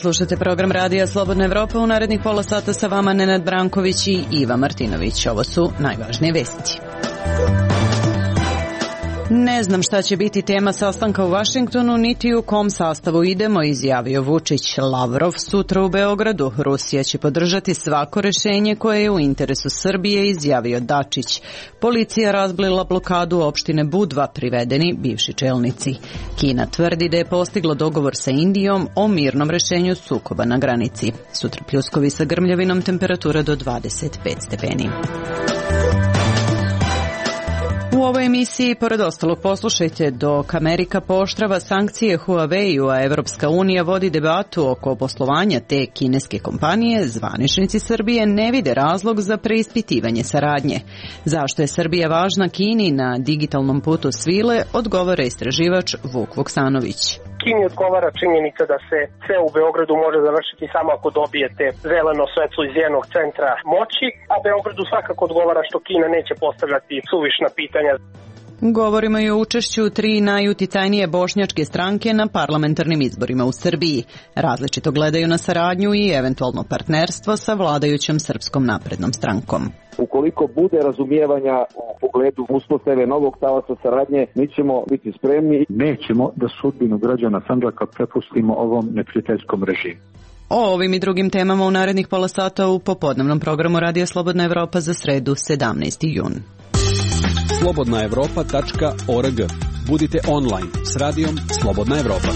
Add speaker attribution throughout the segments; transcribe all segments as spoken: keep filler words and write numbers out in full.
Speaker 1: slušate program Radija Slobodna Evropa. U narednih pola sata sa vama Nenad Branković i Iva Martinović. Ovo su najvažnije vesti. Ne znam šta će biti tema sastanka u Vašingtonu, niti u kom sastavu idemo, izjavio Vučić. Lavrov sutra u Beogradu. Rusija će podržati svako rešenje koje je u interesu Srbije, izjavio Dačić. Policija razblila blokadu opštine Budva, privedeni bivši čelnici. Kina tvrdi da je postiglo dogovor sa Indijom o mirnom rešenju sukoba na granici. Sutra pljuskovi sa grmljavinom, temperatura do dvadeset pet stepeni. U ovoj emisiji, pored ostalog, poslušajte dok Amerika pooštrava sankcije Huawei-u, a Evropska unija vodi debatu oko poslovanja te kineske kompanije, zvaničnici Srbije ne vide razlog za preispitivanje saradnje. Zašto je Srbija važna Kini na digitalnom putu svile, odgovara istraživač Vuk Vuksanović.
Speaker 2: Kini odgovara činjenica da se sve u Beogradu može završiti samo ako dobijete zeleno svetlo iz jednog centra moći, a Beogradu svakako odgovara što Kina neće postavljati suvišna pitanja.
Speaker 1: Govorimo i o učešću tri najuticajnije bošnjačke stranke na parlamentarnim izborima u Srbiji. Različito gledaju na saradnju i eventualno partnerstvo sa vladajućom Srpskom naprednom strankom.
Speaker 3: Ukoliko bude razumijevanja u pogledu uspostave novog talasa saradnje, mi ćemo biti spremni.
Speaker 4: Nećemo da sudbinu građana Sandžaka prepustimo ovom neprijateljskom režimu.
Speaker 1: O ovim i drugim temama u narednih pola sata u popodnevnom programu Radija Slobodna Evropa za sredu sedamnaesti jun.
Speaker 5: slobodna evropa tačka org. Budite online s radijom Slobodna Evropa.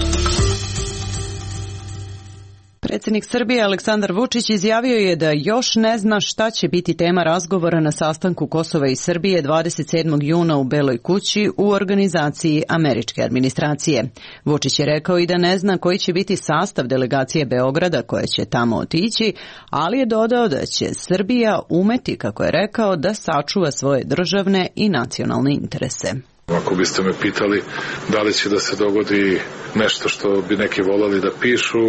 Speaker 1: Predsjednik Srbije Aleksandar Vučić izjavio je da još ne zna šta će biti tema razgovora na sastanku Kosova i Srbije dvadeset sedmog juna u Beloj kući u organizaciji američke administracije. Vučić je rekao i da ne zna koji će biti sastav delegacije Beograda koja će tamo otići, ali je dodao da će Srbija umeti, kako je rekao, da sačuva svoje državne i nacionalne interese.
Speaker 6: Ako biste me pitali da li će da se dogodi nešto što bi neki volali da pišu,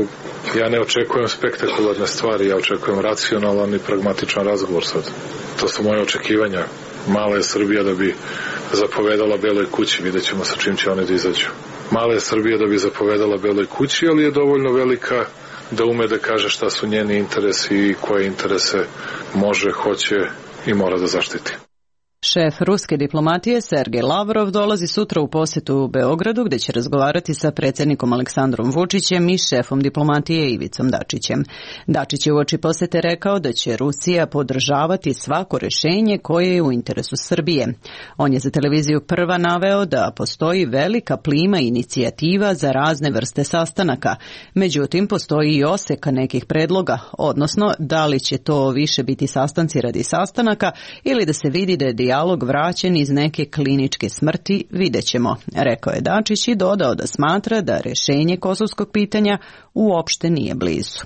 Speaker 6: ja ne očekujem spektakularne stvari, ja očekujem racionalan i pragmatičan razgovor sad. To su moje očekivanja. Mala je Srbija da bi zapovedala Beloj kući, vidjet ćemo sa čim će oni da izađu. Mala je Srbija da bi zapovedala Beloj kući, ali je dovoljno velika da ume da kaže šta su njeni interesi i koje interese može, hoće i mora da zaštiti.
Speaker 1: Šef ruske diplomatije Sergej Lavrov dolazi sutra u posetu u Beogradu gdje će razgovarati sa predsjednikom Aleksandrom Vučićem i šefom diplomatije Ivicom Dačićem. Dačić je uoči posete rekao da će Rusija podržavati svako rješenje koje je u interesu Srbije. On je za televiziju Prva naveo da postoji velika plima inicijativa za razne vrste sastanaka. Međutim, postoji i oseka nekih predloga, odnosno da li će to više biti sastanci radi sastanaka ili da se vidi da je dijalog vraćen iz neke kliničke smrti, vidjet ćemo, rekao je Dačić i dodao da smatra da rješenje kosovskog pitanja uopšte nije blizu.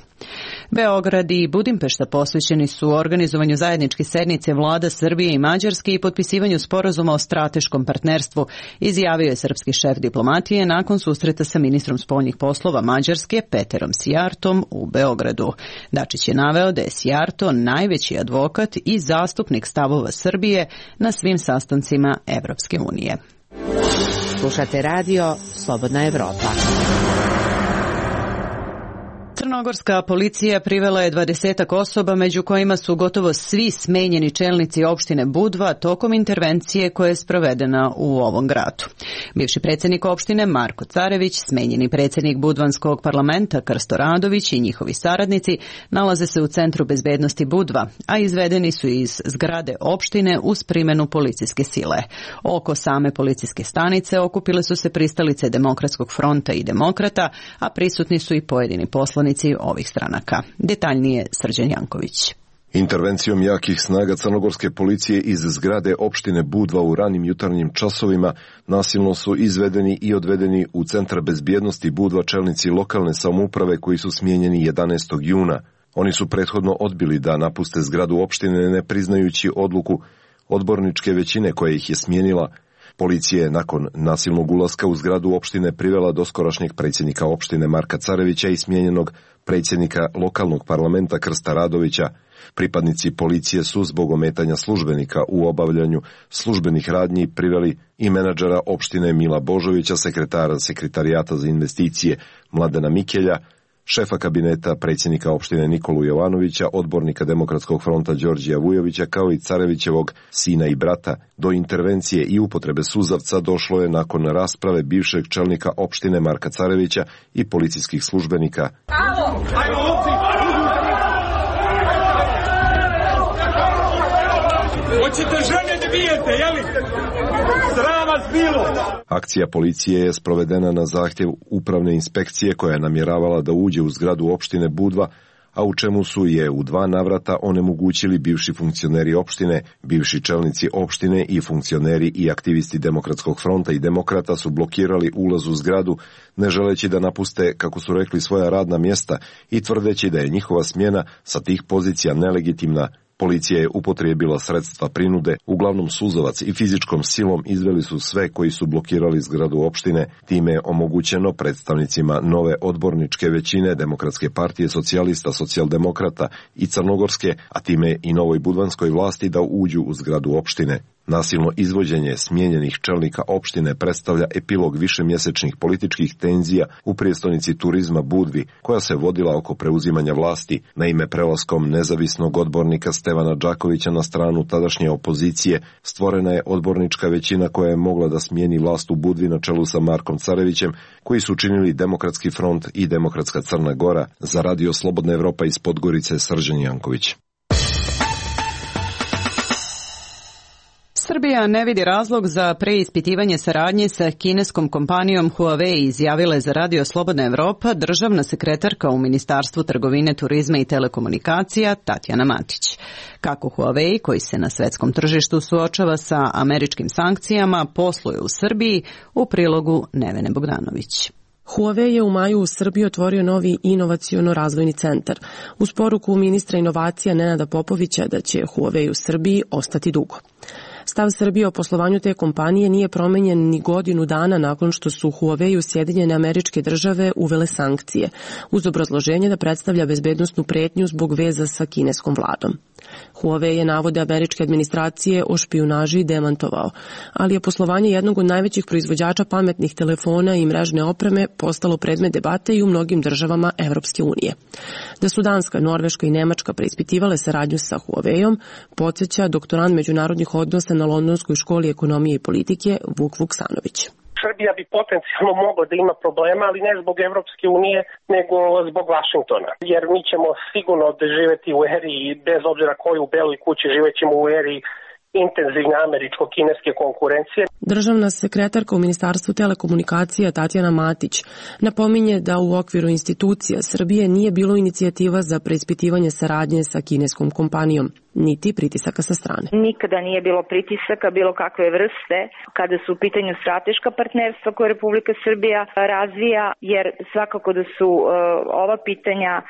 Speaker 1: Beograd i Budimpešta posvećeni su organizovanju zajedničke sednice vlada Srbije i Mađarske i potpisivanju sporazuma o strateškom partnerstvu, izjavio je srpski šef diplomatije nakon susreta sa ministrom spoljnih poslova Mađarske Peterom Sijartom u Beogradu. Dačić je naveo da je Sijarto najveći advokat i zastupnik stavova Srbije na svim sastancima Evropske unije.
Speaker 7: Slušate radio Slobodna Evropa.
Speaker 1: Crnogorska policija privela je dvadesetak osoba, među kojima su gotovo svi smenjeni čelnici opštine Budva tokom intervencije koja je sprovedena u ovom gradu. Bivši predsjednik opštine Marko Carević, smenjeni predsjednik Budvanskog parlamenta Krsto Radović i njihovi saradnici nalaze se u Centru bezbednosti Budva, a izvedeni su iz zgrade opštine uz primjenu policijske sile. Oko same policijske stanice okupile su se pristalice Demokratskog fronta i demokrata, a prisutni su i pojedini poslanici ovih stranaka. Detaljnije Srđan Janković.
Speaker 8: Intervencijom jakih snaga crnogorske policije iz zgrade opštine Budva u ranim jutarnjim časovima nasilno su izvedeni i odvedeni u Centar bezbjednosti Budva čelnici lokalne samouprave koji su smijenjeni jedanaestog juna. Oni su prethodno odbili da napuste zgradu opštine ne priznajući odluku odborničke većine koja ih je smijenila. Policija je nakon nasilnog ulaska u zgradu opštine privela doskorašnjeg predsjednika opštine Marka Carevića i smijenjenog predsjednika lokalnog parlamenta Krsta Radovića. Pripadnici policije su zbog ometanja službenika u obavljanju službenih radnji priveli i menadžera opštine Mila Božovića, sekretara sekretarijata za investicije Mladena Mikelja, šefa kabineta predsjednika opštine Nikolu Jovanovića, odbornika Demokratskog fronta Đorđija Vujovića, kao i Carevićevog sina i brata. Do intervencije i upotrebe suzavca došlo je nakon rasprave bivšeg čelnika opštine Marka Carevića i policijskih službenika.
Speaker 9: Hoćete žene da bijete, jeli? Sram vas bilo!
Speaker 8: Akcija policije je sprovedena na zahtjev upravne inspekcije koja je namjeravala da uđe u zgradu opštine Budva, a u čemu su je u dva navrata onemogućili bivši funkcioneri opštine, bivši čelnici opštine i funkcioneri i aktivisti Demokratskog fronta i Demokrata su blokirali ulaz u zgradu, ne želeći da napuste, kako su rekli, svoja radna mjesta i tvrdeći da je njihova smjena sa tih pozicija nelegitimna. Policija je upotrijebila sredstva prinude, uglavnom suzavac i fizičkom silom izveli su sve koji su blokirali zgradu opštine, time je omogućeno predstavnicima nove odborničke većine Demokratske partije socijalista, socijaldemokrata i crnogorske, a time i novoj budvanskoj vlasti da uđu u zgradu opštine. Nasilno izvođenje smijenjenih čelnika opštine predstavlja epilog višemjesečnih političkih tenzija u prijestolnici turizma Budvi, koja se vodila oko preuzimanja vlasti. Naime, prelaskom nezavisnog odbornika Stevana Đakovića na stranu tadašnje opozicije stvorena je odbornička većina koja je mogla da smijeni vlast u Budvi na čelu sa Markom Carevićem, koji su činili Demokratski front i Demokratska Crna Gora. Za Radio Slobodna Evropa iz Podgorice, Srđan Janković.
Speaker 1: Srbija ne vidi razlog za preispitivanje saradnje sa kineskom kompanijom Huawei, izjavila je za Radio Slobodna Evropa državna sekretarka u Ministarstvu trgovine, turizma i telekomunikacija Tatjana Matić. Kako Huawei, koji se na svetskom tržištu suočava sa američkim sankcijama, posluje u Srbiji, u prilogu Nevene Bogdanović.
Speaker 10: Huawei je u maju u Srbiji otvorio novi inovaciono-razvojni centar. Uz poruku ministra inovacija Nenada Popovića da će Huawei u Srbiji ostati dugo. Stav Srbije o poslovanju te kompanije nije promenjen ni godinu dana nakon što su Huawei u Sjedinjene Američke Države uvele sankcije, uz obrazloženje da predstavlja bezbednosnu pretnju zbog veza sa kineskom vladom. Huawei je navode američke administracije o špijunaži demantovao, ali je poslovanje jednog od najvećih proizvođača pametnih telefona i mrežne opreme postalo predmet debate i u mnogim državama Evropske unije. Da su Danska, Norveška i Nemačka preispitivale saradnju sa Huaweiom, podsjeća doktorant međunarodnih odnosa na Londonskoj školi ekonomije i politike Vuk Vuksanović.
Speaker 2: Srbija bi potencijalno mogla da ima problema, ali ne zbog Evropske unije, nego zbog Vašingtona. Jer mi ćemo sigurno živeti u eri, bez obzira koju u Beloj kući, živećemo u eri intenzivne američko-kineske konkurencije.
Speaker 10: Državna sekretarka u Ministarstvu telekomunikacija Tatjana Matić napominje da u okviru institucija Srbije nije bilo inicijativa za preispitivanje saradnje sa kineskom kompanijom, niti pritisaka sa strane.
Speaker 11: Nikada nije bilo pritisaka bilo kakve vrste kada su u pitanju strateška partnerstva koje Republika Srbija razvija, jer svakako da su uh, ova pitanja uh,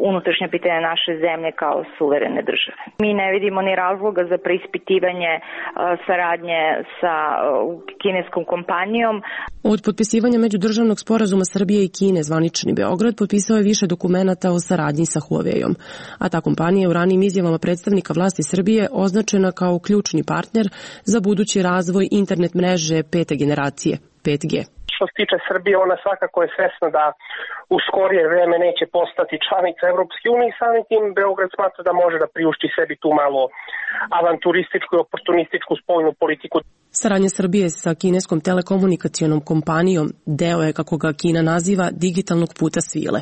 Speaker 11: unutrašnja pitanja naše zemlje kao suverene države. Mi ne vidimo ni razloga za preispitivanje uh, saradnje sa uh, kineskom kompanijom.
Speaker 10: Od potpisivanja međudržavnog sporazuma Srbije i Kine zvanični Beograd potpisao je više dokumenata o saradnji sa Huaweiom, a ta kompanija je u ranijim izjavama predstavnika vlasti Srbije označena kao ključni partner za budući razvoj internet mreže pete generacije, pet G.
Speaker 2: Što se tiče Srbije, ona svakako je svesna da u skorije vreme neće postati članica Evropske unije i samim tim Beograd smatra da može da priušti sebi tu malo avanturističku i oportunističku spoljnu politiku.
Speaker 10: Saradnja Srbije sa kineskom telekomunikacionom kompanijom deo je, kako ga Kina naziva, digitalnog puta svile.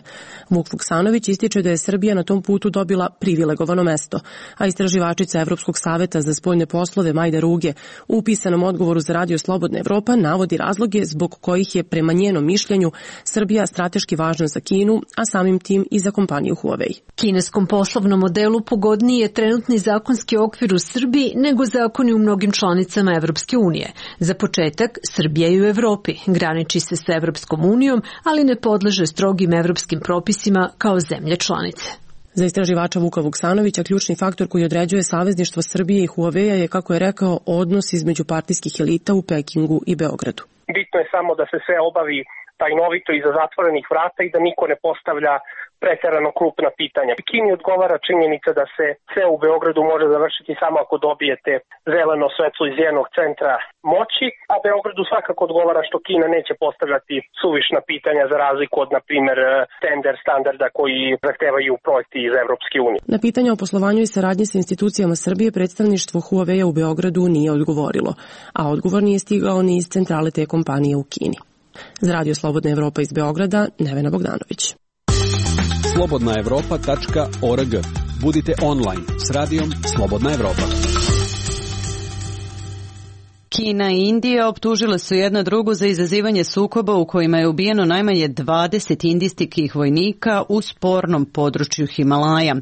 Speaker 10: Vuk Vuksanović ističe da je Srbija na tom putu dobila privilegovano mesto, a istraživačica Evropskog saveta za spoljne poslove Majda Ruge u pisanom odgovoru za Radio Slobodna Evropa navodi razloge zbog kojih je prema njenom mišljenju Srbija strateški važna za Kinu, a samim tim i za kompaniju Huawei.
Speaker 12: Kineskom poslovnom modelu pogodniji je trenutni zakonski okvir u Srbiji nego zakoni u mnogim članicama Evropske unije. Za početak, Srbija je u Evropi, graniči se sa Evropskom unijom, ali ne podleže strogim evropskim propisima kao zemlje članice.
Speaker 10: Za istraživača Vuka Vuksanovića ključni faktor koji određuje savezništvo Srbije i Huawei je, kako je rekao, odnos između partijskih elita u Pekingu i Beogradu.
Speaker 2: Bitno je samo da se sve obavi tajnovito iza zatvorenih vrata i da niko ne postavlja preterano krupna pitanja. Kini odgovara činjenica da se sve u Beogradu može završiti samo ako dobijete zeleno svetlo iz jednog centra moći, a Beogradu svakako odgovara što Kina neće postavljati suvišna pitanja za razliku od, na primjer, tender standarda koji zahtevaju projekti iz Evropske unije.
Speaker 10: Na pitanja o poslovanju i saradnji sa institucijama Srbije predstavništvo Huawei u Beogradu nije odgovorilo, a odgovor nije stigao ni iz centrale te kompanije u Kini. Za Radio Slobodna Evropa iz Beograda, Nevena Bogdanović.
Speaker 5: slobodna evropa tačka org. Budite online s radijom Slobodna Evropa.
Speaker 1: Kina i Indija optužile su jedna drugu za izazivanje sukoba u kojima je ubijeno najmanje dvadeset indijskih vojnika u spornom području Himalaja.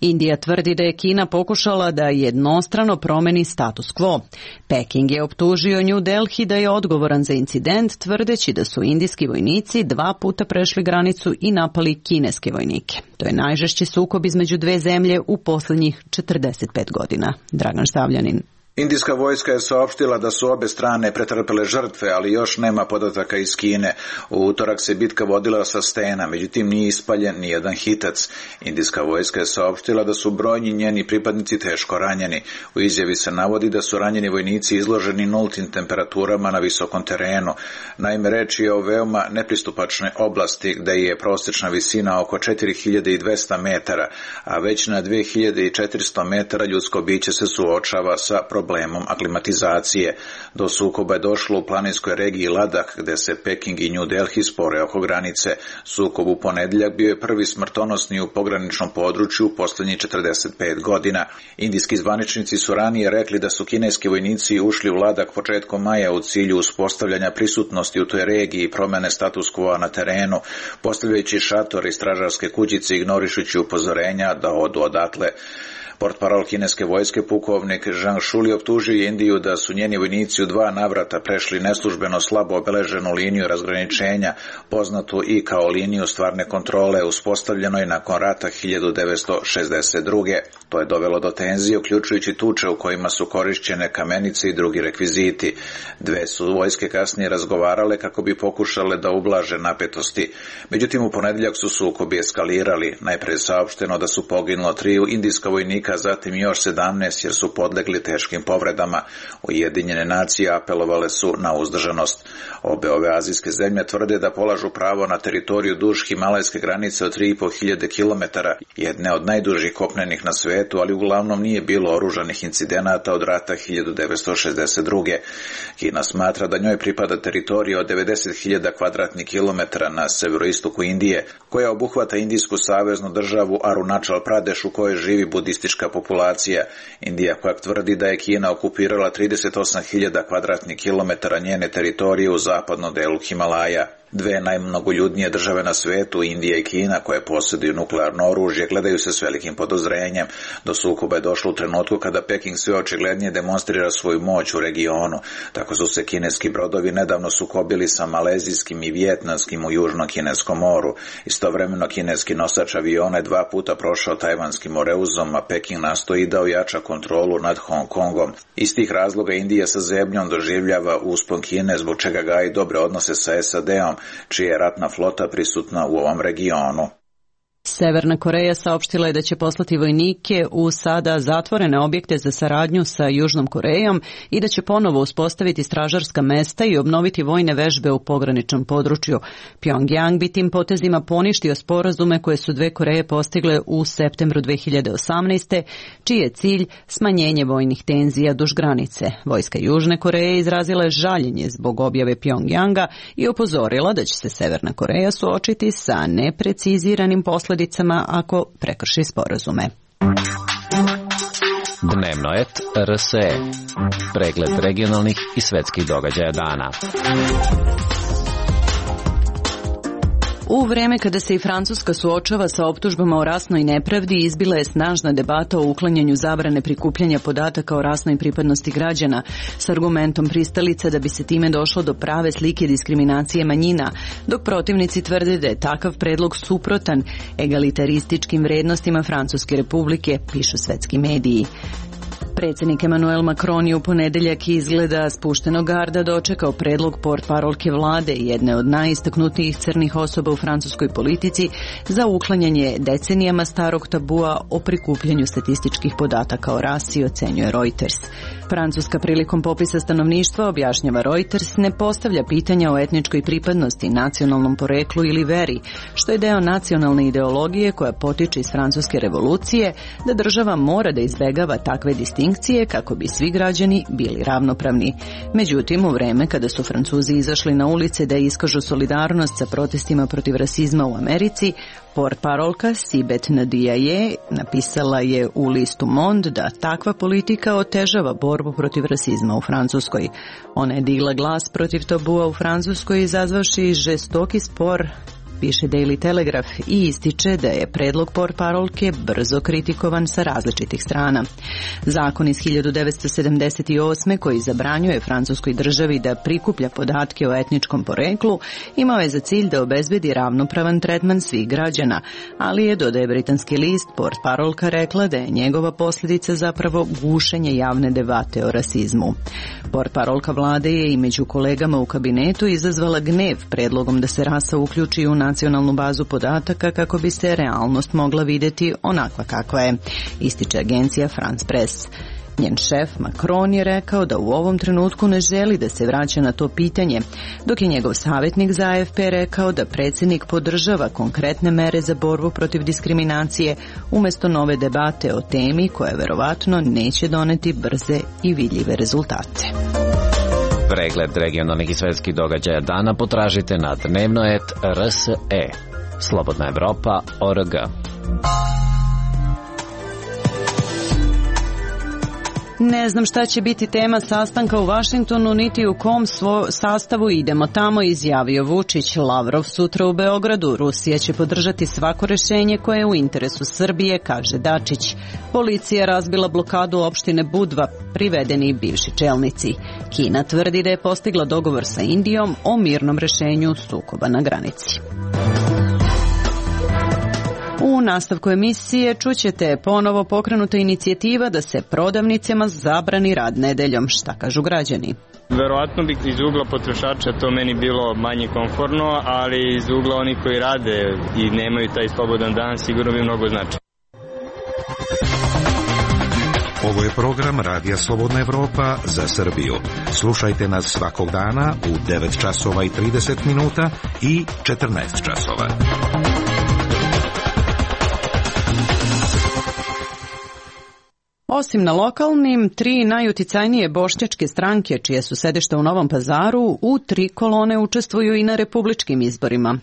Speaker 1: Indija tvrdi da je Kina pokušala da jednostrano promeni status quo. Peking je optužio New Delhi da je odgovoran za incident, tvrdeći da su indijski vojnici dva puta prešli granicu i napali kineske vojnike. To je najžešći sukob između dve zemlje u posljednjih četrdeset pet godina. Dragan Stavljanin.
Speaker 13: Indijska vojska je saopštila da su obe strane pretrpele žrtve, ali još nema podataka iz Kine. U utorak se bitka vodila sa stena, međutim nije ispaljen ni jedan hitac. Indijska vojska je saopštila da su brojni njeni pripadnici teško ranjeni. U izjavi se navodi da su ranjeni vojnici izloženi nultim temperaturama na visokom terenu. Naime, reč je o veoma nepristupačnoj oblasti gde je prosječna visina oko četiri hiljade dvesta metara, a već na dve hiljade četiristo metara ljudsko biće se suočava sa problemom aklimatizacije. Do sukoba je došlo u planinskoj regiji Ladah, gde se Peking i New Delhi spore oko granice. Sukob u ponedjeljak bio je prvi smrtonosni u pograničnom području u posljednjih četrdeset pet godina. Indijski zvaničnici su ranije rekli da su kineski vojnici ušli u Ladah početkom maja u cilju uspostavljanja prisutnosti u toj regiji i promjene status quo na terenu, postavljajući šatore i stražarske kućice, ignorišući upozorenja da odu odatle. Portparol kineske vojske pukovnik Zhang Shuli optužio je Indiju da su njeni vojnici u dva navrata prešli neslužbeno slabo obeleženu liniju razgraničenja, poznatu i kao liniju stvarne kontrole, uspostavljenoj nakon rata hiljadu devetsto šezdeset druge. To je dovelo do tenzije, uključujući tuče u kojima su korišćene kamenice i drugi rekviziti. Dve su vojske kasnije razgovarale kako bi pokušale da ublaže napetosti. Međutim, u ponedjeljak su sukobi eskalirali. Najpre je saopšteno da su poginulo tri indijska vojnika, zatim još sedamnaest jer su podlegli teškim povredama. Ujedinjene nacije apelovale su na uzdržanost. Obe ove azijske zemlje tvrde da polažu pravo na teritoriju duž himalajske granice od tri i po hiljade kilometara, jedne od najdužih kopnenih na svetu, ali uglavnom nije bilo oružanih incidenata od rata hiljadu devetsto šezdeset druge. Kina smatra da njoj pripada teritorija od devedeset hiljada kvadratnih kilometara na severoistoku Indije, koja obuhvata indijsku saveznu državu Arunachal Pradesh u kojoj živi budistička populacija. Indija koja tvrdi da je Kina okupirala trideset osam hiljada kvadratnih kilometara njene teritorije u zapadnom delu Himalaja. Dve najmnogoljudnije države na svetu, Indija i Kina, koje posjeduju nuklearno oružje, gledaju se s velikim podozrenjem. Do sukoba je došlo u trenutku kada Peking sve očiglednije demonstrira svoju moć u regionu. Tako su se kineski brodovi nedavno sukobili sa malezijskim i vijetnamskim u južnom kineskom moru. Istovremeno kineski nosač aviona je dva puta prošao tajvanskim moreuzom, a Peking nastoji da ojača kontrolu nad Hong Kongom. Iz tih razloga Indija sa zebnjom doživljava uspon Kine, zbog čega gaji dobre odnose sa S A D-om, čija je ratna flota prisutna u ovom regionu.
Speaker 1: Severna Koreja saopštila je da će poslati vojnike u sada zatvorene objekte za saradnju sa Južnom Korejom i da će ponovo uspostaviti stražarska mesta i obnoviti vojne vežbe u pograničnom području. Pjongjang bi tim potezima poništio sporazume koje su dve Koreje postigle u septembru dve hiljade osamnaeste, čiji je cilj smanjenje vojnih tenzija duž granice. Vojska Južne Koreje izrazila je žaljenje zbog objave Pjongjanga i upozorila da će se Severna Koreja suočiti sa nepreciziranim posledicama ako prekrši sporazume.
Speaker 14: Dnevno et R S E. Pregled regionalnih i svetskih događaja dana.
Speaker 1: U vreme kada se i Francuska suočava sa optužbama o rasnoj nepravdi, izbila je snažna debata o uklanjanju zabrane prikupljanja podataka o rasnoj pripadnosti građana s argumentom pristalica da bi se time došlo do prave slike diskriminacije manjina, dok protivnici tvrde da je takav predlog suprotan egalitarističkim vrednostima Francuske republike, pišu svetski mediji. Predsjednik Emmanuel Macron je u ponedeljak izgleda spuštenog garda dočekao predlog portparolke vlade, jedne od najistaknutijih crnih osoba u francuskoj politici, za uklanjanje decenijama starog tabua o prikupljanju statističkih podataka o rasi, ocenjuje Reuters. Francuska prilikom popisa stanovništva, objašnjava Reuters, ne postavlja pitanja o etničkoj pripadnosti, nacionalnom poreklu ili veri, što je deo nacionalne ideologije koja potiče iz francuske revolucije, da država mora da izbegava takve distinkcije kako bi svi građani bili ravnopravni. Međutim, u vreme kada su Francuzi izašli na ulice da iskažu solidarnost sa protestima protiv rasizma u Americi, portparolka Sibeth Ndiaye napisala je u listu Monde da takva politika otežava borbu protiv rasizma u Francuskoj. Ona je digla glas protiv tabua u Francuskoj, izazvavši žestoki spor, piše Daily Telegraph, i ističe da je predlog portparolke brzo kritikovan sa različitih strana. Zakon iz hiljadu devetsto sedamdeset osme koji zabranjuje francuskoj državi da prikuplja podatke o etničkom poreklu imao je za cilj da obezbedi ravnopravan tretman svih građana, ali je, dodaje britanski list, portparolka rekla da je njegova posljedica zapravo gušenje javne debate o rasizmu. Portparolka vlade je i među kolegama u kabinetu izazvala gnev predlogom da se rasa uključi u nacionalnu bazu podataka kako bi se realnost mogla vidjeti onakva kakva je, ističe agencija France Press. Njen šef Macron je rekao da u ovom trenutku ne želi da se vraća na to pitanje, dok je njegov savjetnik za A F P rekao da predsjednik podržava konkretne mere za borbu protiv diskriminacije umjesto nove debate o temi koja verovatno neće doneti brze i vidljive rezultate.
Speaker 14: Pregled regionalnih i svetskih događaja dana potražite na dnevno et R S E. Slobodna Evropa точка O R G.
Speaker 1: Ne znam šta će biti tema sastanka u Vašingtonu, niti u kom svo sastavu idemo tamo, izjavio Vučić. Lavrov sutra u Beogradu. Rusija će podržati svako rešenje koje je u interesu Srbije, kaže Dačić. Policija razbila blokadu opštine Budva, privedeni bivši čelnici. Kina tvrdi da je postigla dogovor sa Indijom o mirnom rešenju sukoba na granici. U nastavku emisije čućete ponovo pokrenuta inicijativa da se prodavnicama zabrani rad nedeljom. Šta kažu građani?
Speaker 15: Verovatno bi iz ugla potrošača to meni bilo manje komfortno, ali iz ugla onih koji rade i nemaju taj slobodan dan sigurno bi mnogo značilo.
Speaker 16: Ovo je program Radija Slobodna Evropa za Srbiju. Slušajte nas svakog dana u devet časova i trideset minuta i četrnaest časova.
Speaker 1: Osim na lokalnim, tri najuticajnije bošnjačke stranke, čije su sedišta u Novom Pazaru, u tri kolone učestvuju i na republičkim izborima.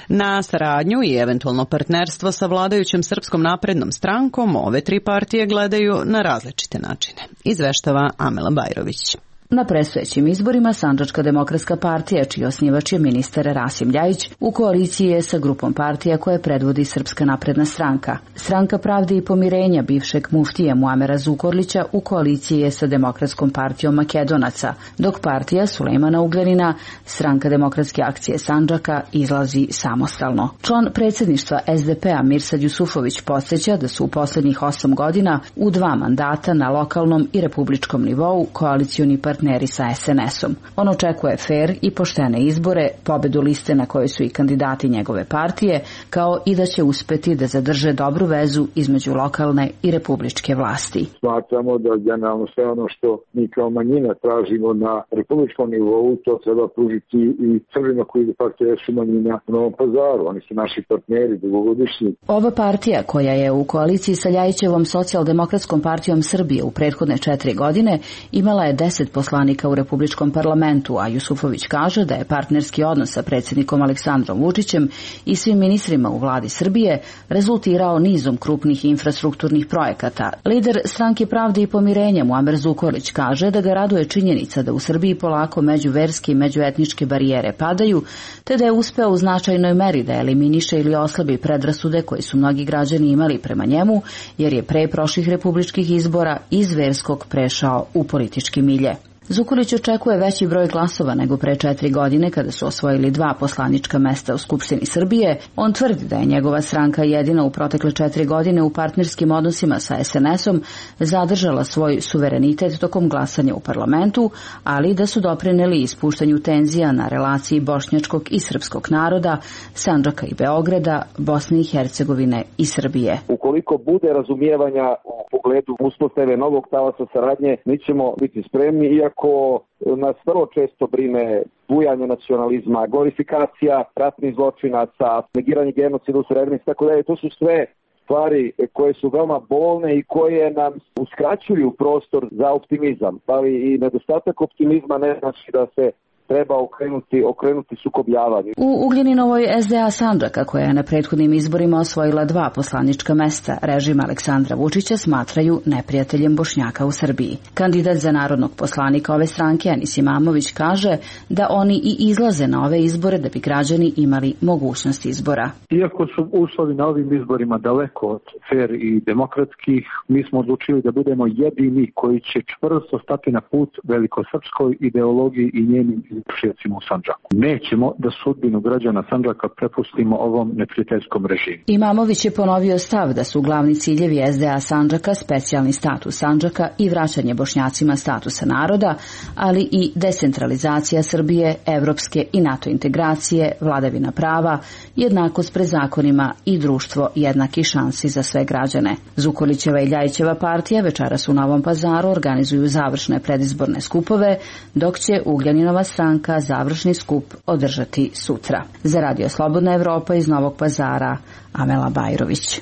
Speaker 1: Na saradnju i eventualno partnerstvo sa vladajućom Srpskom naprednom strankom ove tri partije gledaju na različite načine. Izveštava Amela Bajrović.
Speaker 17: Na predstojećim izborima Sandžačka demokratska partija, čiji osnivač je ministar Rasim Ljajić, u koaliciji je sa grupom partija koje predvodi Srpska napredna stranka. Stranka pravde i pomirenja bivšeg muftija Muamera Zukorlića u koaliciji je sa Demokratskom partijom Makedonaca, dok partija Sulejmana Ugljanina, Stranka demokratske akcije Sandžaka, izlazi samostalno. Član predsjedništva S D P-a Mirsad Jusufović podsjeća da su u posljednjih osam godina u dva mandata na lokalnom i republičkom nivou koalicioni partneri sa S N S-om. On očekuje fer i poštene izbore, pobedu liste na kojoj su i kandidati njegove partije, kao i da će uspeti da zadrže dobru vezu između lokalne i republičke vlasti.
Speaker 3: Smatramo da generalno sve ono što mi kao manjina tražimo na republičkom nivou, to treba pružiti i Srbima koji de facto jesu manjina u Novom Pazaru. Oni su naši partneri dugogodišnji.
Speaker 17: Ova partija, koja je u koaliciji sa Ljajićevom socijaldemokratskom partijom Srbije u prethodne četiri godine, imala je deset poslanika u Republičkom parlamentu, a Jusufović kaže da je partnerski odnos sa predsjednikom Aleksandrom Vučićem i svim ministrima u vladi Srbije rezultirao nizom krupnih infrastrukturnih projekata. Lider Stranke pravde i pomirenja Muamer Zukorlić kaže da ga raduje činjenica da u Srbiji polako međuverske i međuetničke barijere padaju, te da je uspeo u značajnoj meri da eliminiše ili oslabi predrasude koji su mnogi građani imali prema njemu, jer je pre prošlih republičkih izbora iz verskog prešao u politički milje. Zukorlić očekuje veći broj glasova nego pre četiri godine kada su osvojili dva poslanička mesta u Skupštini Srbije. On tvrdi da je njegova stranka jedina u protekle četiri godine u partnerskim odnosima sa es en esom zadržala svoj suverenitet tokom glasanja u parlamentu, ali da su doprineli ispuštanju tenzija na relaciji bošnjačkog i srpskog naroda, Sandžaka i Beograda, Bosne i Hercegovine i Srbije.
Speaker 18: Ukoliko bude razumijevanja u pogledu uspostave novog talasa saradnje, mi ćemo biti spremni, iako nas vrlo često brine bujanje nacionalizma, glorifikacija ratnih zločinaca, negiranje genocida u Srebrenici, tako da to su sve stvari koje su veoma bolne i koje nam uskraćuju prostor za optimizam, ali i nedostatak optimizma ne znači da se treba okrenuti, okrenuti sukobljavanju.
Speaker 17: U Ugljaninovoj es de a Sandžaka, koja je na prethodnim izborima osvojila dva poslanička mesta, režim Aleksandra Vučića smatraju neprijateljem Bošnjaka u Srbiji. Kandidat za narodnog poslanika ove stranke, Enis Imamović, kaže da oni i izlaze na ove izbore da bi građani imali mogućnost izbora.
Speaker 4: Iako su uslovi na ovim izborima daleko od fer i demokratskih, mi smo odlučili da budemo jedini koji će čvrsto stati na put velikosrpskoj ideologiji i njenim izvršiocima u Sandžaku. Nećemo da sudbinu građana Sandžaka prepustimo ovom neprijateljskom režimu.
Speaker 17: Imamović je ponovio stav da su glavni ciljevi es de a Sandžaka specijalni status Sandžaka i vraćanje Bošnjacima statusa naroda, ali i decentralizacija Srbije, evropske i NATO integracije, vladavina prava, jednakost pred zakonima i društvo jednakih šansi za sve građane. Zukorlićeva i Ljajićeva partija večeras u Novom Pazaru organizuju završne predizborne skupove, dok će Ugljaninova stranka završni skup održati sutra. Za Radio Slobodna Evropa iz Novog Pazara, Amela Bajrović.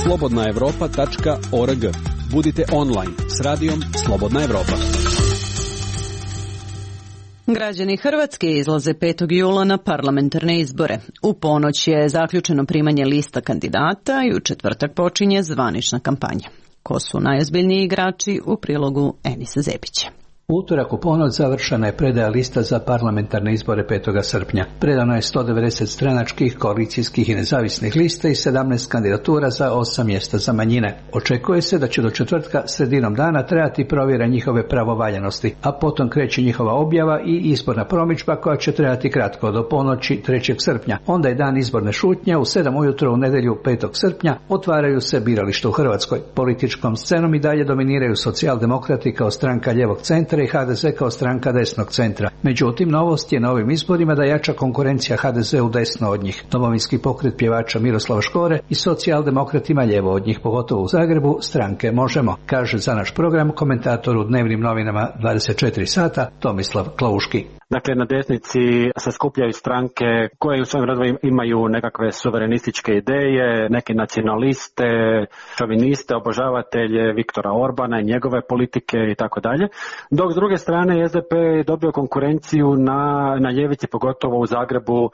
Speaker 5: slobodna evropa tačka org. Budite online s radijom Slobodna Evropa.
Speaker 1: Građani Hrvatske izlaze petog jula na parlamentarne izbore. U ponoć je zaključeno primanje lista kandidata i u četvrtak počinje zvanična kampanja. Ko su najozbiljniji igrači u prilogu Enisa Zebića.
Speaker 19: U utorak u ponoć završena je predaja lista za parlamentarne izbore petog srpnja. Predano je sto devedeset stranačkih, koalicijskih i nezavisnih lista i sedamnaest kandidatura za osam mjesta za manjine. Očekuje se da će do četvrtka sredinom dana trajati provjera njihove pravovaljanosti, a potom kreće njihova objava i izborna promidžba koja će trajati kratko do ponoći trećeg srpnja. Onda je dan izborne šutnje, u sedam ujutro u nedjelju petog srpnja otvaraju se birališta u Hrvatskoj. Političkom scenom i dalje dominiraju socijaldemokrati kao stranka ljevog centra i ha de ze kao stranka desnog centra. Međutim, novost je na ovim izborima da jača konkurencija ha de zeu desno od njih. Domovinski pokret pjevača Miroslava Škore i socijaldemokratima lijevo od njih, pogotovo u Zagrebu, stranke Možemo, kaže za naš program komentator u dnevnim novinama dvadeset četiri sata Tomislav Klauški.
Speaker 20: Dakle, na desnici se skupljaju stranke koje u svojim redovima imaju nekakve suverenističke ideje, neke nacionaliste, šoviniste, obožavatelje Viktora Orbana i njegove politike i tako dalje. Dok s druge strane es de pe je dobio konkurenciju na, na ljevici, pogotovo u Zagrebu,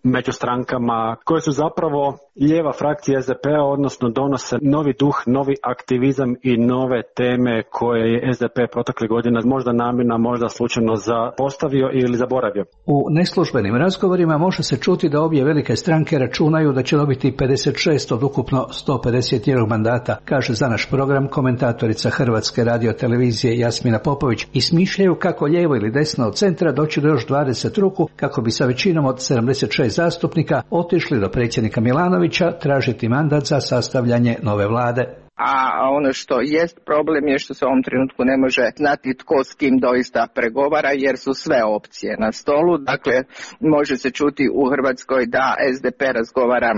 Speaker 20: među strankama koje su zapravo lijeva frakcija es de pe, odnosno donose novi duh, novi aktivizam i nove teme koje je es de pe proteklih godina možda namjerno, možda slučajno zapostavio ili zaboravio.
Speaker 19: U neslužbenim razgovorima može se čuti da obje velike stranke računaju da će dobiti pedeset šest od ukupno sto pedeset jedan mandata, kaže za naš program komentatorica Hrvatske radiotelevizije Jasmina Popović, i smišljaju kako lijevo ili desno od centra doći do još dvadeset ruku kako bi sa većinom od sedamdeset šest zastupnika otišli do predsjednika Milanovića tražiti mandat za sastavljanje nove vlade.
Speaker 21: A ono što jest problem je što se u ovom trenutku ne može znati tko s kim doista pregovara, jer su sve opcije na stolu. Dakle, može se čuti u Hrvatskoj da es de pe razgovara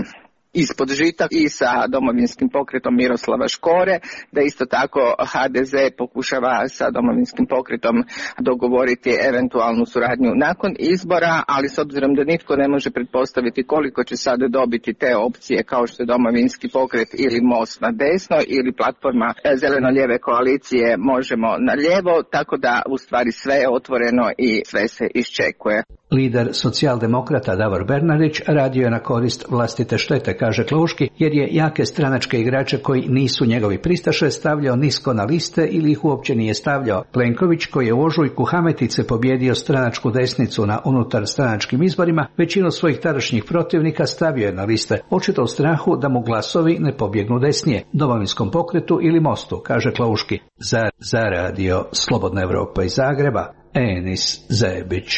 Speaker 21: ispod žita i sa domovinskim pokretom Miroslava Škore, da isto tako ha de ze pokušava sa domovinskim pokretom dogovoriti eventualnu suradnju nakon izbora, ali s obzirom da nitko ne može pretpostaviti koliko će sada dobiti te opcije kao što je domovinski pokret ili most na desno ili platforma zeleno-lijeve koalicije Možemo na lijevo, tako da u stvari sve je otvoreno i sve se iščekuje.
Speaker 19: Lider socijaldemokrata Davor Bernardić radio je na korist vlastite štete, kaže Klauški, jer je jake stranačke igrače koji nisu njegovi pristaše stavljao nisko na liste ili ih uopće nije stavljao. Plenković, koji je u ožujku Hametice pobjedio stranačku desnicu na unutar stranačkim izborima, većinu svojih tadašnjih protivnika stavio je na liste, očito u strahu da mu glasovi ne pobjegnu desnije, Domovinskom pokretu ili Mostu, kaže Klauški. Za, za radio Slobodna Evropa iz Zagreba, Enis Zebić.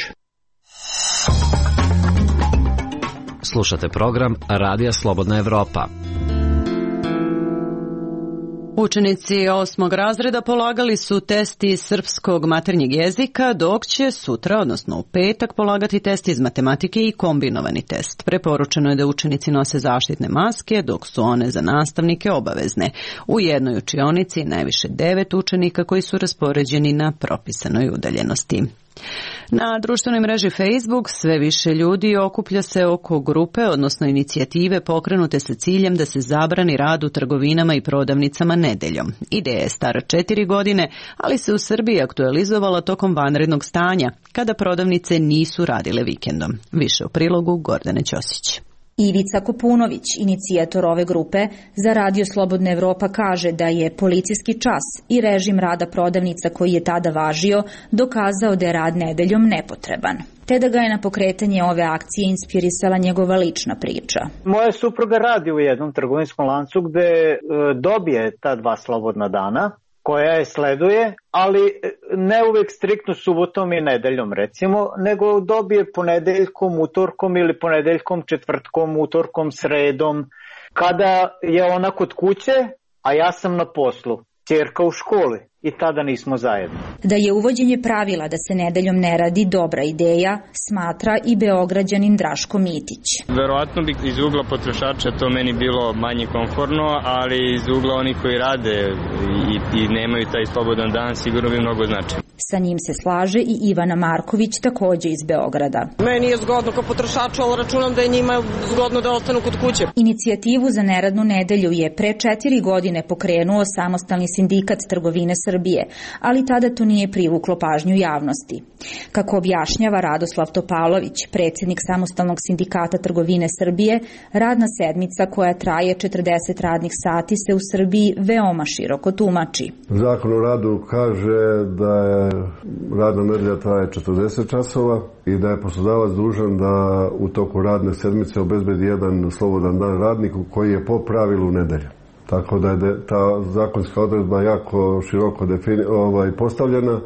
Speaker 14: Slušate program Radija Slobodna Evropa.
Speaker 1: Učenici osmog razreda polagali su test iz srpskog maternjeg jezika, dok će sutra, odnosno u petak, polagati test iz matematike i kombinovani test. Preporučeno je da učenici nose zaštitne maske, dok su one za nastavnike obavezne. U jednoj učionici najviše devet učenika koji su raspoređeni na propisanoj udaljenosti. Na društvenoj mreži Facebook sve više ljudi okuplja se oko grupe, odnosno inicijative pokrenute sa ciljem da se zabrani rad u trgovinama i prodavnicama nedeljom. Ideja je stara četiri godine, ali se u Srbiji aktualizovala tokom vanrednog stanja, kada prodavnice nisu radile vikendom. Više u prilogu Gordane Ćosić.
Speaker 6: Ivica Kopunović, inicijator ove grupe, za Radio Slobodna Evropa kaže da je policijski čas i režim rada prodavnica koji je tada važio dokazao da je rad nedeljom nepotreban, te da ga je na pokretanje ove akcije inspirisala njegova lična priča.
Speaker 22: Moja supruga radi u jednom trgovinskom lancu gde e, dobije ta dva slobodna dana, koja je sleduje, ali ne uvek striktno subotom i nedeljom recimo, nego dobije ponedeljkom, utorkom ili ponedeljkom, četvrtkom, utorkom, sredom, kada je ona kod kuće, a ja sam na poslu, ćerka u školi i tada nismo zajedno.
Speaker 6: Da je uvođenje pravila da se nedeljom ne radi dobra ideja, smatra i Beograđanin Draško Mitić.
Speaker 15: Verovatno bi iz ugla potrošača to meni bilo manje komforno, ali iz ugla oni koji rade i, i nemaju taj slobodan dan sigurno bi mnogo značilo.
Speaker 6: Sa njim se slaže i Ivana Marković, takođe iz Beograda.
Speaker 23: Meni je zgodno kao potrošaču, ali računam da je njima zgodno da ostanu kod kuće.
Speaker 6: Inicijativu za neradnu nedelju je pre četiri godine pokrenuo Samostalni sindikat trgovine Srbije, ali tada to nije privuklo pažnju javnosti. Kako objašnjava Radoslav Topalović, predsjednik Samostalnog sindikata trgovine Srbije, radna sedmica koja traje četrdeset radnih sati se u Srbiji veoma široko tumači.
Speaker 24: Zakon o radu kaže da je radna nedelja traje četrdeset časova i da je poslodavac dužan da u toku radne sedmice obezbedi jedan slobodan dan radniku koji je po pravilu nedelja. Tako da je ta zakonska odredba jako široko defini, ovaj, postavljena,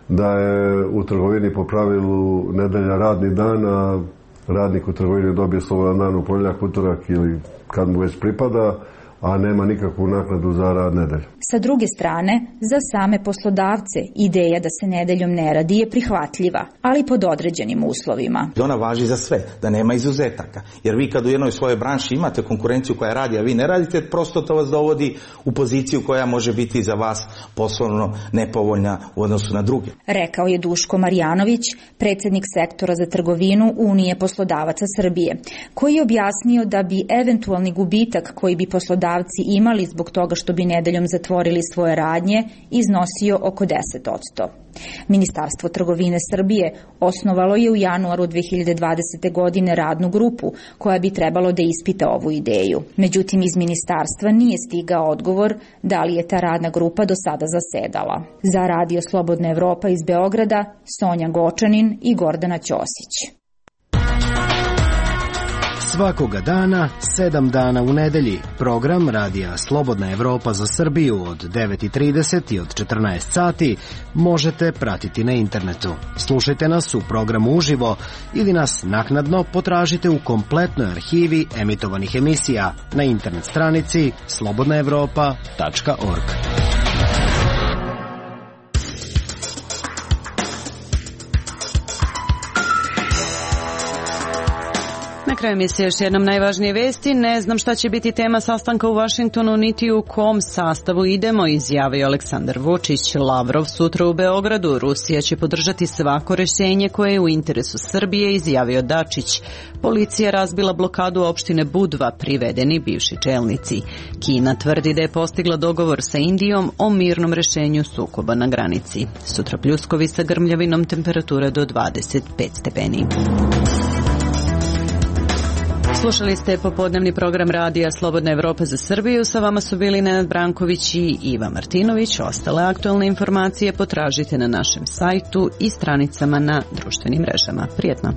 Speaker 24: da je u trgovini po pravilu nedelja radni dan, a radnik u trgovini dobije slobodan dan u ponedjeljak, utorak ili kad mu već pripada, a nema nikakvu naknadu za rad nedelju.
Speaker 6: Sa druge strane, za same poslodavce ideja da se nedeljom ne radi je prihvatljiva, ali pod određenim uslovima.
Speaker 25: Ona važi za sve, da nema izuzetaka. Jer vi kad u jednoj svojoj branši imate konkurenciju koja radi, a vi ne radite, prosto to vas dovodi u poziciju koja može biti za vas poslovno nepovoljna u odnosu na druge.
Speaker 6: Rekao je Duško Marjanović, predsjednik sektora za trgovinu Unije poslodavaca Srbije, koji je objasnio da bi eventualni gubitak koji bi poslodavci imali zbog toga što bi nedeljom zatvorili svoje radnje iznosio oko deset posto. Ministarstvo trgovine Srbije osnovalo je u januaru dve hiljade dvadesete. godine radnu grupu koja bi trebalo da ispita ovu ideju. Međutim, iz ministarstva nije stigao odgovor da li je ta radna grupa do sada zasedala. Za Radio Slobodna Evropa iz Beograda, Sonja Gočanin i Gordana Ćosić.
Speaker 26: Svakoga dana, sedam dana u nedelji, program Radija Slobodna Evropa za Srbiju od devet i trideset i od četrnaest sati možete pratiti na internetu. Slušajte nas u programu uživo ili nas naknadno potražite u kompletnoj arhivi emitovanih emisija na internet stranici slobodna evropa tačka org.
Speaker 1: Na kraju emisije još jednom najvažnije vesti. Ne znam šta će biti tema sastanka u Vašingtonu, niti u kom sastavu idemo, izjavio Aleksandar Vučić. Lavrov sutra u Beogradu. Rusija će podržati svako rješenje koje je u interesu Srbije, izjavio Dačić. Policija razbila blokadu opštine Budva, privedeni bivši čelnici. Kina tvrdi da je postigla dogovor sa Indijom o mirnom rešenju sukoba na granici. Sutra pljuskovi sa grmljavinom, temperatura do dvadeset pet stepeni. Slušali ste popodnevni program radija Slobodna Evropa za Srbiju. Sa vama su bili Nenad Branković i Iva Martinović. Ostale aktualne informacije potražite na našem sajtu i stranicama na društvenim mrežama. Prijetno!